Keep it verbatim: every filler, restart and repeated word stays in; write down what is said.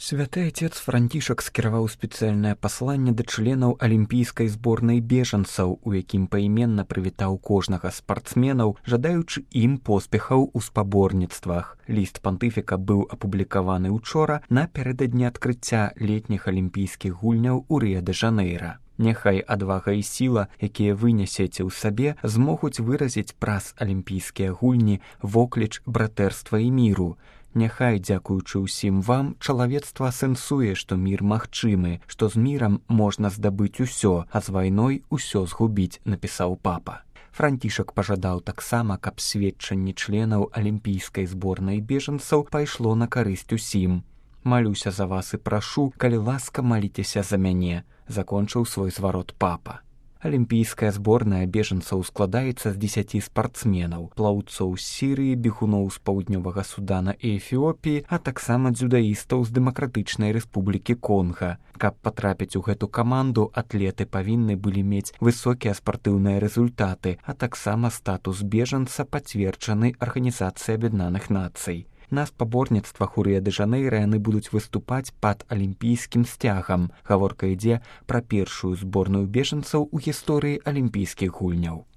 Святы отец Францішак скіраваў спецыяльнае пасланне да членаў алімпійскай зборнай бежанцаў, у якім паіменна прывітаў кожнага спартсменаў, жадаючы ім поспехаў у спаборніцтвах. Ліст пантыфіка быў апублікаваны учора напярэдадні адкрыцця летніх алімпійскіх гульняў у Рыа-дэ-Жанэйра. Няхай адвага і сіла, якія вы нясеце ў сабе, змогуць выразіць праз алімпійскія гульні вокліч братэрства і міру. Няхай, дзякуючы ўсім вам, чалавецтва сэнсуе, што мір магчымы, што з мірам можна здабыць усё, а з вайной усё згубіць, напісаў папа. Францішак пажадаў таксама, каб сведчанне членаў алімпійскай зборнай бежанцаў пайшло на карысць усім. «Малюся за вас і прашу, калі ласка, маліцеся за мяне», закончыў свой зварот папа. Алімпійская зборная бежанцаў складаецца з дзесяці спартсменаў, плаўцоў з Сірыі, бегуноў з паўднёвага Судана і Эфіопіі, а таксама дзюдаістаў з Дэмакратычнай Рэспублікі Конга. Каб патрапіць у гэту каманду, атлеты павінны былі мець высокія спартыўныя рэзультаты, а таксама статус бежанца пацверджаны Арганізацыяй Аб'яднаных Нацый. На спаборніцтвах у Рыа-дэ-Жанэйра яны будуць выступаць пад алімпійскім сцягам. Гаворка ідзе пра першую зборную бежанцаў у гісторыі алімпійскіх гульняў.